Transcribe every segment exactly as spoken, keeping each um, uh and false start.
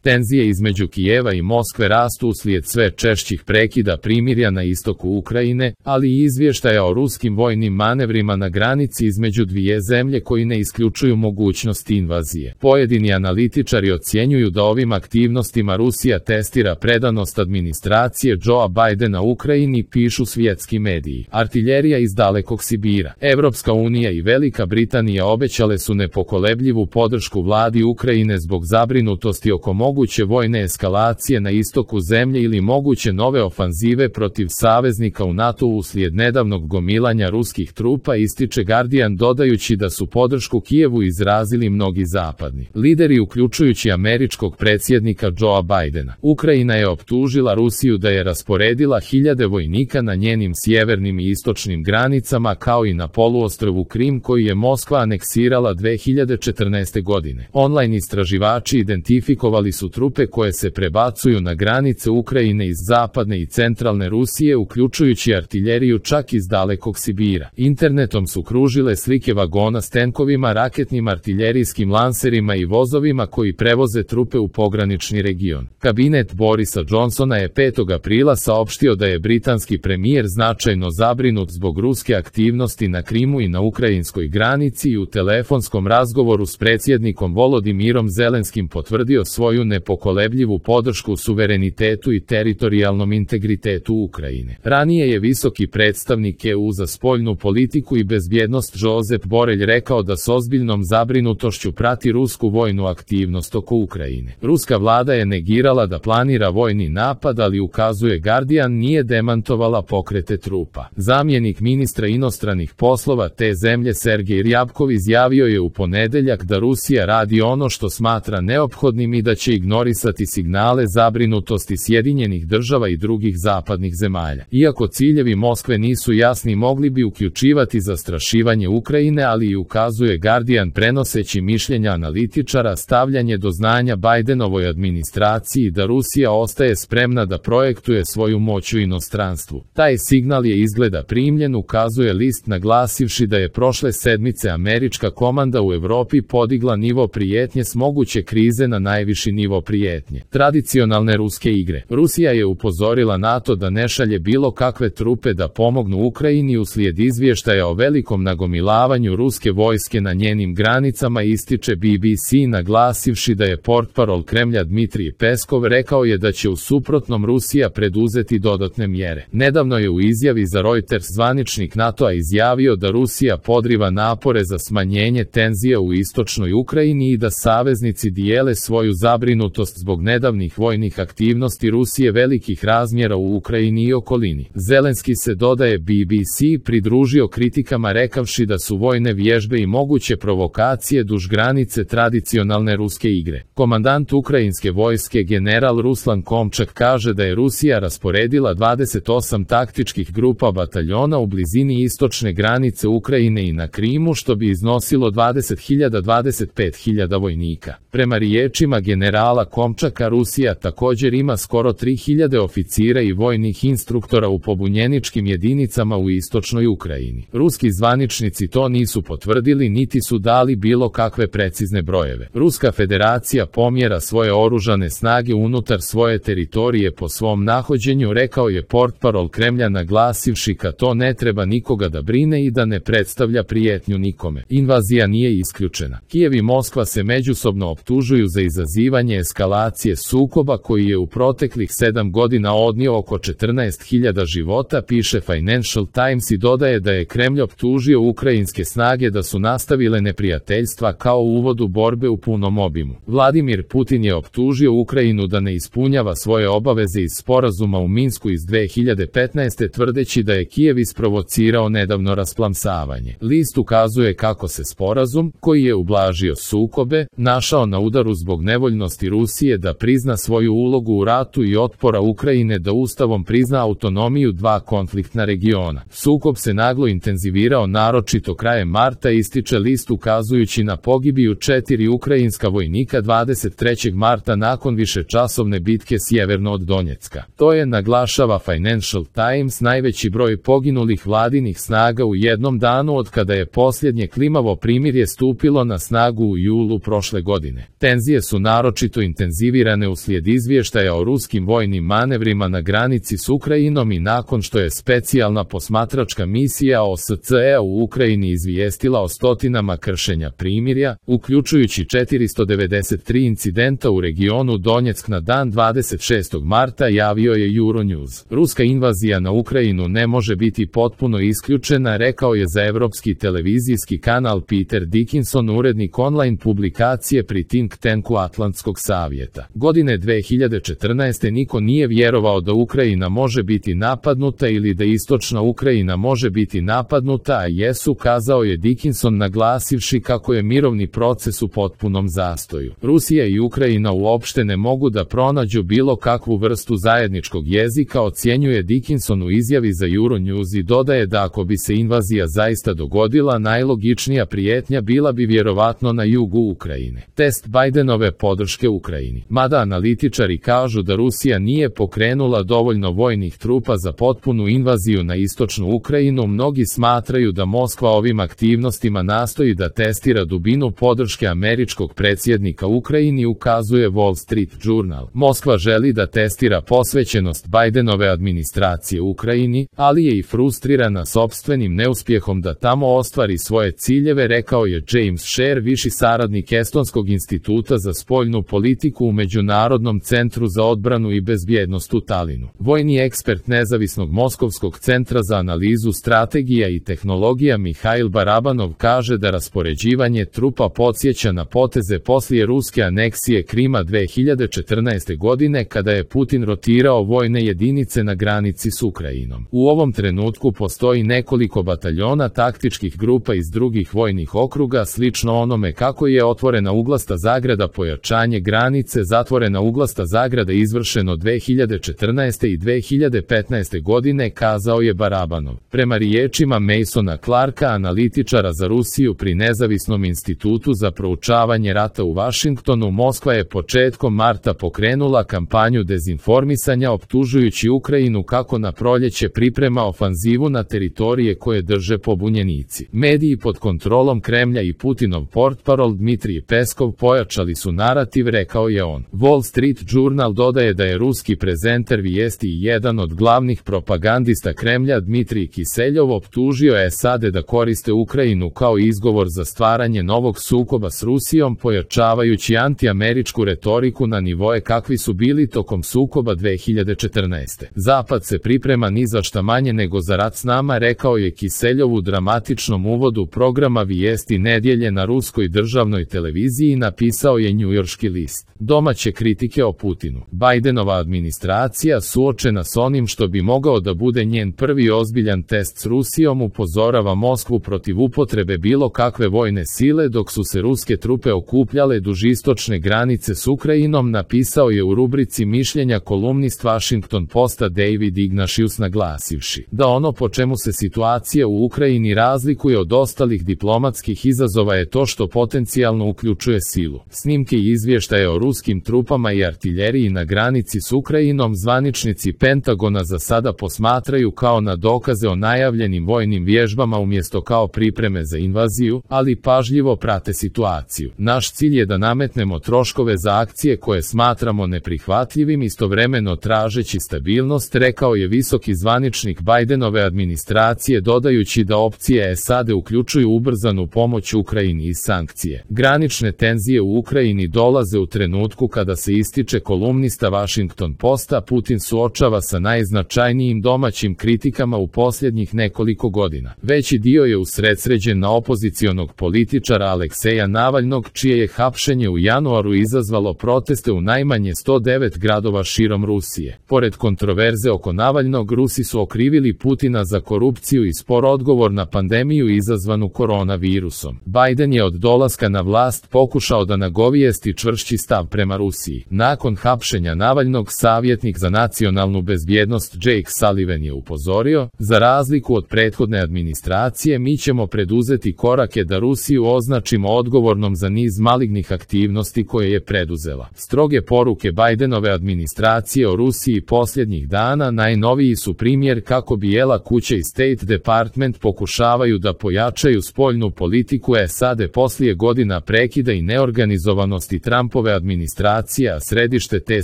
Tenzije između Kijeva i Moskve rastu uslijed sve češćih prekida primirja na istoku Ukrajine, ali i izvještaja o ruskim vojnim manevrima na granici između dvije zemlje koji ne isključuju mogućnost invazije. Pojedini analitičari ocjenjuju da ovim aktivnostima Rusija testira predanost administracije Joea Bidena Ukrajini, pišu svjetski mediji. Artiljerija iz dalekog Sibira. Evropska unija i Velika Britanija obećale su nepokolebljivu podršku vladi Ukrajine zbog zabrinutosti oko moguće vojne eskalacije na istoku zemlje ili moguće nove ofanzive protiv saveznika u NATO-u uslijed nedavnog gomilanja ruskih trupa, ističe Guardian, dodajući da su podršku Kijevu izrazili mnogi zapadni lideri, uključujući američkog predsjednika Joea Bidena. Ukrajina je optužila Rusiju da je rasporedila hiljade vojnika na njenim sjevernim i istočnim granicama kao i na poluostrvu Krim koji je Moskva aneksirala dve hiljade četrnaeste. godine. Online istraživači identifikovali su trupe koje se prebacuju na granice Ukrajine iz zapadne i centralne Rusije, uključujući artiljeriju čak iz dalekog Sibira. Internetom su kružile slike vagona s tenkovima, raketnim artiljerijskim lanserima i vozovima koji prevoze trupe u pogranični region. Kabinet Borisa Johnsona je petog aprila saopštio da je britanski premijer značajno zabrinut zbog ruske aktivnosti na Krimu i na ukrajinskoj granici i u telefonskom razgovoru s predsjednikom Volodimirom Zelenskim potvrdio svoju nepokolebljivu podršku suverenitetu i teritorijalnom integritetu Ukrajine. Ranije je visoki predstavnik E U za spoljnu politiku i bezbjednost Josep Borrell rekao da s ozbiljnom zabrinutošću prati rusku vojnu aktivnost oko Ukrajine. Ruska vlada je negirala da planira vojni napad, ali, ukazuje Guardian, nije demantovala pokrete trupa. Zamjenik ministra inostranih poslova te zemlje Sergej Ryabkov izjavio je u ponedeljak da Rusija radi ono što smatra neophodnim i da će ignorisati signale zabrinutosti Sjedinjenih država i drugih zapadnih zemalja. Iako ciljevi Moskve nisu jasni, mogli bi uključivati zastrašivanje Ukrajine, ali i, ukazuje Guardian prenoseći mišljenja analitičara, stavljanje do znanja Bidenovoj administraciji da Rusija ostaje spremna da projektuje svoju moć u inostranstvu. Taj signal je izgleda primljen, ukazuje list, naglasivši da je prošle sedmice američka komanda u Europi podigla nivo prijetnje s moguće krize na najviši nivo prijetnje. Tradicionalne ruske igre. Rusija je upozorila NATO da ne šalje bilo kakve trupe da pomognu Ukrajini uslijed izvještaja o velikom nagomilavanju ruske vojske na njenim granicama, ističe B B C, naglasivši da je portparol Kremlja Dmitrij Peskov rekao je da će u suprotnom Rusija preduzeti dodatne mjere. Nedavno je u izjavi za Reuters zvaničnik NATO-a izjavio da Rusija podriva napore za smanjenje tenzija u istočnoj Ukrajini i da saveznici dijele svoju zabrinutost zbog nedavnih vojnih aktivnosti Rusije velikih razmjera u Ukrajini i okolini. Zelenski se, dodaje B B C, pridružio kritikama rekavši da su vojne vježbe i moguće provokacije duž granice tradicionalne ruske igre. Komandant ukrajinske vojske general Ruslan Komčak kaže da je Rusija rasporedila dvadeset osam taktičkih grupa bataljona u blizini istočne granice Ukrajine i na Krimu, što bi iznosilo dvadeset hiljada do dvadeset pet hiljada vojnika. Prema riječima generala Komčaka, Rusija također ima skoro tri hiljade oficira i vojnih instruktora u pobunjeničkim jedinicama u istočnoj Ukrajini. Ruski zvaničnici to nisu potvrdili niti su dali bilo kakve precizne brojeve. Ruska federacija pomjera svoje oružane snage unutar svoje teritorije po svom nahođenju, rekao je portparol Kremlja, naglasivši ka to ne treba nikoga da brine i da ne predstavlja prijetnju nikome. Invazija nije isključena. Kijev i Moskva se međusobno optužuju za izazivanje eskalacije sukoba koji je u proteklih sedam godina odnio oko četrnaest hiljada života, piše Financial Times, i dodaje da je Kremlj optužio ukrajinske snage da su nastavile neprijateljstva kao u uvodu borbe u punom obimu. Vladimir Putin je optužio Ukrajinu da ne ispunjava svoje obaveze iz sporazuma u Minsku iz dve hiljade petnaeste. tvrdeći da je Kijev isprovocirao nedavno rasplamsavanje. List ukazuje kako se sporazum, koji je ublažio sukobe, našao na udaru zbog nevoljnosti Rusije da prizna svoju ulogu u ratu i otpora Ukrajine da ustavom prizna autonomiju dva konfliktna regiona. Sukob se naglo intenzivirao naročito krajem marta, ističe list, ukazujući na pogibiju četiri ukrajinska vojnika dvadeset trećeg marta nakon višečasovne bitke sjeverno od Donjecka. To je, naglašava Financial Times, najveći broj poginulih vladinih snaga u jednom danu od kada je posljednje klimavo primirje stupilo na snagu u julu prošle godine. Tenzije su naročito osobito intenzivirane uslijed izvještaja o ruskim vojnim manevrima na granici s Ukrajinom i nakon što je specijalna posmatračka misija O S C E u Ukrajini izvijestila o stotinama kršenja primirja, uključujući četiristo devedeset tri incidenta u regionu Donjeck na dan dvadeset šestog marta, javio je Euronews. Ruska invazija na Ukrajinu ne može biti potpuno isključena, rekao je za evropski televizijski kanal Peter Dickinson, urednik online publikacije pri think tanku Atlantskog savjeta. Godine dve hiljade četrnaeste. niko nije vjerovao da Ukrajina može biti napadnuta ili da istočna Ukrajina može biti napadnuta, a jesu, kazao je Dickinson, naglasivši kako je mirovni proces u potpunom zastoju. Rusija i Ukrajina uopšte ne mogu da pronađu bilo kakvu vrstu zajedničkog jezika, ocjenjuje Dickinson u izjavi za Euronews i dodaje da ako bi se invazija zaista dogodila, najlogičnija prijetnja bila bi vjerovatno na jugu Ukrajine. Test Bidenove podrške Ukrajini. Mada analitičari kažu da Rusija nije pokrenula dovoljno vojnih trupa za potpunu invaziju na istočnu Ukrajinu, mnogi smatraju da Moskva ovim aktivnostima nastoji da testira dubinu podrške američkog predsjednika Ukrajini, ukazuje Wall Street Journal. Moskva želi da testira posvećenost Bidenove administracije Ukrajini, ali je i frustrirana sopstvenim neuspjehom da tamo ostvari svoje ciljeve, rekao je James Sher, viši saradnik Estonskog instituta za spoljnu politiku u Međunarodnom centru za odbranu i bezbjednost u Talinu. Vojni ekspert nezavisnog Moskovskog centra za analizu strategija i tehnologija Mihail Barabanov kaže da raspoređivanje trupa podsjeća na poteze poslije ruske aneksije Krima dve hiljade četrnaeste. godine, kada je Putin rotirao vojne jedinice na granici s Ukrajinom. U ovom trenutku postoji nekoliko bataljona taktičkih grupa iz drugih vojnih okruga, slično onome kako je otvorena uglasta zagrada pojačanje granice, zatvorena uglasta zagrada izvršeno dve hiljade četrnaeste. i dve hiljade petnaeste. godine, kazao je Barabanov. Prema riječima Masona Clarka, analitičara za Rusiju pri Nezavisnom institutu za proučavanje rata u Vašingtonu, Moskva je početkom marta pokrenula kampanju dezinformisanja, optužujući Ukrajinu kako na proljeće priprema ofanzivu na teritorije koje drže pobunjenici. Mediji pod kontrolom Kremlja i Putinov portparol Dmitrij Peskov pojačali su narativ, rekao je on. Wall Street Journal dodaje da je ruski prezenter vijesti i jedan od glavnih propagandista Kremlja Dmitrij Kiseljov optužio S A D da koriste Ukrajinu kao izgovor za stvaranje novog sukoba s Rusijom, pojačavajući antiameričku retoriku na nivoe kakvi su bili tokom sukoba dve hiljade četrnaeste. Zapad se priprema ni za šta manje nego za rat s nama, rekao je Kiseljov u dramatičnom uvodu programa Vijesti nedjelje na ruskoj državnoj televiziji, napisao je njujorški list. Domaće kritike o Putinu. Bidenova administracija, suočena s onim što bi mogao da bude njen prvi ozbiljan test s Rusijom, upozorava Moskvu protiv upotrebe bilo kakve vojne sile dok su se ruske trupe okupljale duž istočne granice s Ukrajinom, napisao je u rubrici mišljenja kolumnist Washington Posta David Ignatius, naglasivši da ono po čemu se situacija u Ukrajini razlikuje od ostalih diplomatskih izazova je to što potencijalno uključuje silu. Snimke i izvještaje o ruskim trupama i artiljeriji na granici s Ukrajinom zvaničnici Pentagona za sada posmatraju kao na dokaze o najavljenim vojnim vježbama umjesto kao pripreme za invaziju, ali pažljivo prate situaciju. Naš cilj je da nametnemo troškove za akcije koje smatramo neprihvatljivim, istovremeno tražeći stabilnost, rekao je visoki zvaničnik Bidenove administracije, dodajući da opcije S A D uključuju ubrzanu pomoć Ukrajini i sankcije. Granične tenzije u Ukrajini dolaze u trenutku kada se ističe kolumnista Washington Posta. Putin suočava sa najznačajnijim domaćim kritikama u posljednjih nekoliko godina. Veći dio je usredsređen na opozicionog političara Alekseja Navalnog, čije je hapšenje u januaru izazvalo proteste u najmanje sto devet gradova širom Rusije. Pored kontroverze oko Navalnog, Rusi su okrivili Putina za korupciju i spor odgovor na pandemiju izazvanu koronavirusom. Biden je od dolaska na vlast pokušao da nagovijesti čvršći stav prema Rusiji. Nakon hapšenja Navalnog, savjetnik za nacionalnu bezbjednost Jake Sullivan je upozorio, za razliku od prethodne administracije, mi ćemo preduzeti korake da Rusiju označimo odgovornom za niz malignih aktivnosti koje je preduzela. Stroge poruke Bidenove administracije o Rusiji posljednjih dana najnoviji su primjer kako Bijela kuća i State Department pokušavaju da pojačaju spoljnu politiku S A D poslije godina prekida i neorganizovanosti Trumpove Trumpove administracije, a središte te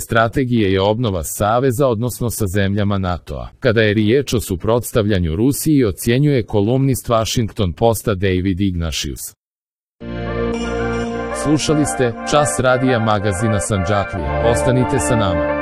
strategije je obnova saveza odnosno sa zemljama NATO-a. Kada je riječ o suprotstavljanju Rusiji, ocjenjuje kolumnist Washington Posta David Ignatius. Slušali ste Čas radija magazina Sandžaklija. Ostanite sa nama.